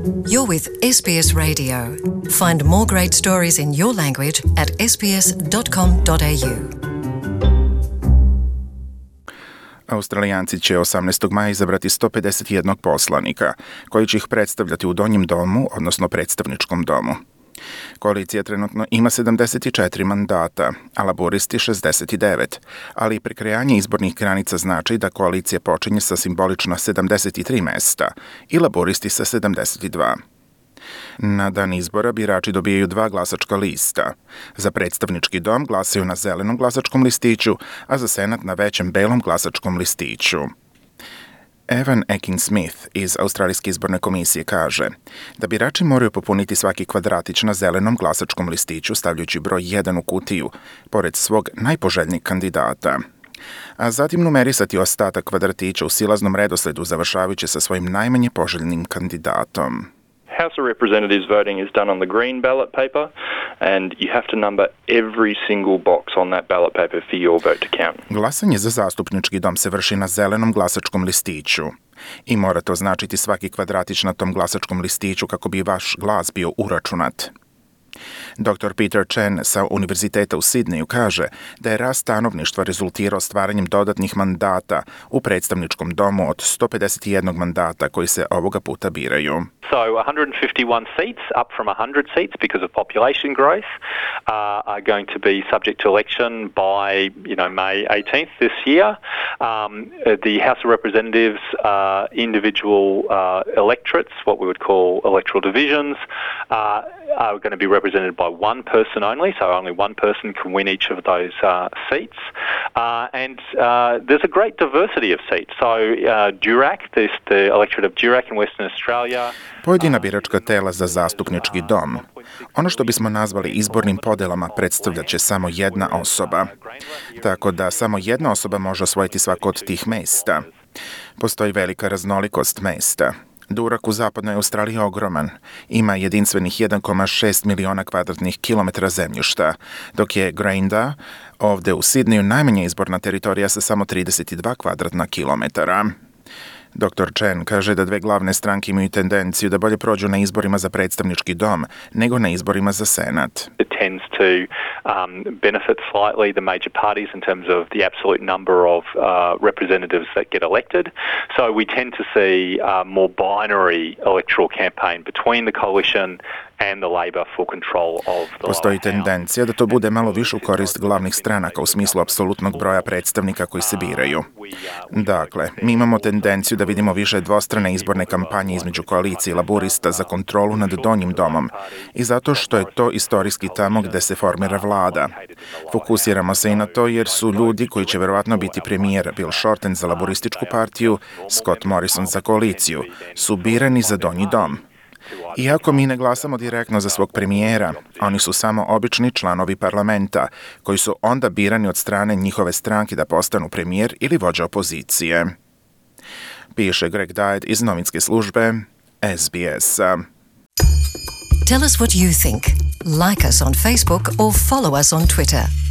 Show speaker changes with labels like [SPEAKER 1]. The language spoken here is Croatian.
[SPEAKER 1] You're with SBS Radio. Find more great stories in your language at sbs.com.au.
[SPEAKER 2] Australijanci će 18. maja izabrati 151 poslanika, koji će ih predstavljati u Donjem domu, odnosno predstavničkom domu. Koalicija trenutno ima 74 mandata, a laburisti 69, ali prekrajanje izbornih granica znači da koalicija počinje sa simbolično 73 mesta i laburisti sa 72. Na dan izbora birači dobijaju 2 glasačka lista. Za predstavnički dom glasaju na zelenom glasačkom listiću, a za senat na većem belom glasačkom listiću. Evan Ekin-Smith iz Australijske izborne komisije kaže da birači moraju popuniti svaki kvadratić na zelenom glasačkom listiću stavljajući broj 1 u kutiju, pored svog najpoželjnijeg kandidata, a zatim numerisati ostatak kvadratića u silaznom redosledu završavajući sa svojim najmanje poželjnim kandidatom.
[SPEAKER 3] House of Representatives voting is done on the green ballot paper, and you have to number every single box on that ballot paper for your vote to count.
[SPEAKER 2] Glasanje za zastupnički dom se vrši na zelenom glasačkom listiću i mora to značiti svaki kvadratić na tom glasačkom listiću kako bi vaš glas bio uračunat. Dr. Peter Chen sa Univerziteta u Sidneju kaže da je rast stanovništva rezultirao stvaranjem dodatnih mandata u predstavničkom domu od 151 mandata koji se ovoga puta biraju.
[SPEAKER 4] So 151 seats, up from 100 seats because of population growth, are going to be subject to election by, May 18th this year. The House of Representatives individual electorates, what we would call electoral divisions, are going to be represented by one person only, so only one person can win each of those seats. And there's a great diversity of seats. So Durack, the electorate of Durack in Western Australia.
[SPEAKER 2] Pojedina biračka tela za zastupnički dom. Ono što bismo nazvali izbornim podelama predstavljat će samo jedna osoba. Tako da samo jedna osoba može osvojiti svako od tih mesta. Postoji velika raznolikost mesta. Durack u zapadnoj Australiji je ogroman. Ima jedinstvenih 1,6 miliona kvadratnih kilometara zemljišta, dok je Grinda ovde u Sidneju najmanja izborna teritorija sa samo 32 kvadratna kilometara. Dr. Chen kaže da 2 glavne stranke imaju tendenciju da bolje prođu na izborima za predstavnički dom nego na izborima za senat.
[SPEAKER 4] It tends to benefit slightly the major parties in terms of the absolute number of representatives that get elected. So we tend to see more binary electoral campaign between the coalition and the Labor for control of the
[SPEAKER 2] Postoji tendencija da to bude malo više u korist glavnih stranaka u smislu apsolutnog broja predstavnika koji se biraju. Dakle, mi imamo tendenciju da vidimo više dvostrane izborne kampanje između koalicije i laburista za kontrolu nad Donjim domom i zato što je to istorijski tamo gde se formira vlada. Fokusiramo se i na to jer su ljudi koji će verovatno biti premijer Bill Shorten za laburističku partiju, Scott Morrison za koaliciju, su birani za Donji dom. Iako mi ne glasamo direktno za svog premijera, oni su samo obični članovi parlamenta, koji su onda birani od strane njihove stranke da postanu premijer ili vođa opozicije. Piše Greg Diet iz novinske službe SBS-a.
[SPEAKER 1] Tell us what you think. Like us on Facebook or follow us on Twitter.